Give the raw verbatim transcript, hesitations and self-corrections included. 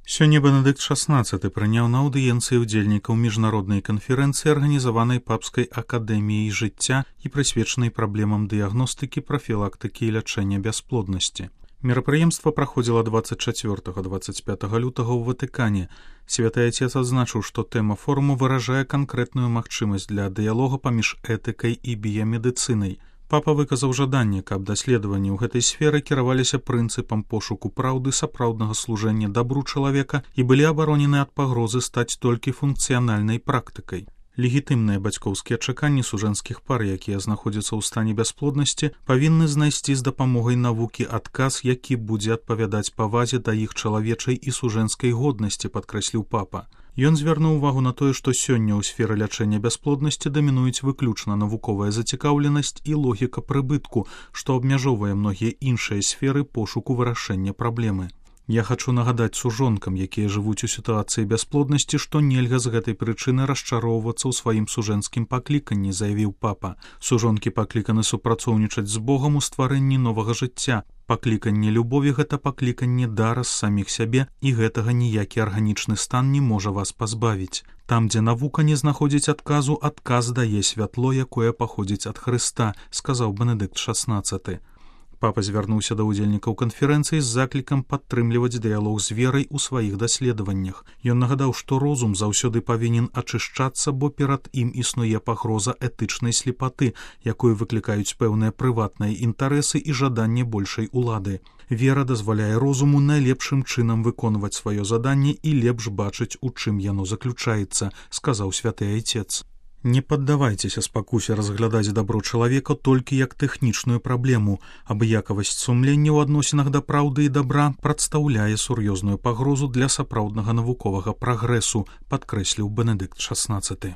Сёння Бенедыкт шаснаццаты прыняў на аўдыенцыі ўдзельнікаў міжнароднай канферэнцыі, арганізаванай папскай акадэміяй жыцця і прысвечанай праблемам дыягностыкі, прафілактыкі і лячэння бясплоднасці. Мерапрыемства праходзіла дваццаць чацвёртага - дваццаць пятага лютага ў Ватыкане. Святы Отец адзначыў, што тэма форуму выражае канкрэтную магчымасць для дыялога паміж этыкай і біямедыцынай. Папа выказаў жаданне, каб даследаванні ў гэтай сферы кіраваліся прынцыпам пошуку праўды, сапраўднага служэння дабру чалавека і былі абаронены ад пагрозы стаць толькі функцыянальнай практыкай. Легітымныя бацькоўскія чаканні сужэнскіх пар, якія знаходзяцца ў стане бясплоднасці, павінны знайсці з дапамогай навукі адказ, які будзе адпавядаць павазе да іх чалавечай і сужэнскай годнасці, падкрэсліў папа. Ён звярнуў увагу на тое, што сёння ў сферы лячэння бясплоднасці дамінуюць выключна навуковая зацікаўленасць і логіка прыбытку, што абмяжоўвае многія іншыя сферы пошуку вырашэння праблемы. Я хачу нагадаць сужонкам, якія жывуць у сітуацыі бясплоднасці, што нельга з гэтай прычыны расчароўвацца ў сваім сужэнскім пакліканні, заявіў папа. Сужонкі пакліканы супрацоўнічаць з Богам у стварэнні новага жыцця. Пакліканне любові – гэта пакліканне дара з саміх сябе, і гэтага ніякі арганічны стан не можа вас пазбавіць. Там, дзе навука не знаходзіць адказу, адказ дае святло, якое паходзіць ад Хрыста, сказаў Бенедыкт шаснаццаты. Папа звярнуўся да ўдзельнікаў канферэнцыі з заклікам падтрымліваць дыялог з верай у сваіх даследаваннях. Ён нагадаў, што розум заўсёды павінен ачышчацца, бо перад ім існуе пагроза этычнай слепаты, якую выклікаюць пэўныя прыватныя інтарэсы і жаданне большай улады. Вера дазваляе розуму найлепшым чынам выконваць сваё заданне і лепш бачыць, у чым яно заключаецца, сказаў святы Айцец. Не паддавайцеся спакусе разглядаць дабро чалавека толькі як тэхнічную праблему. Абыякавасць сумлення ў адносінах да праўды і дабра прадстаўляе сур'ёзную пагрозу для сапраўднага навуковага прагрэсу, падкрэсліў Бенедыкт шаснаццаты.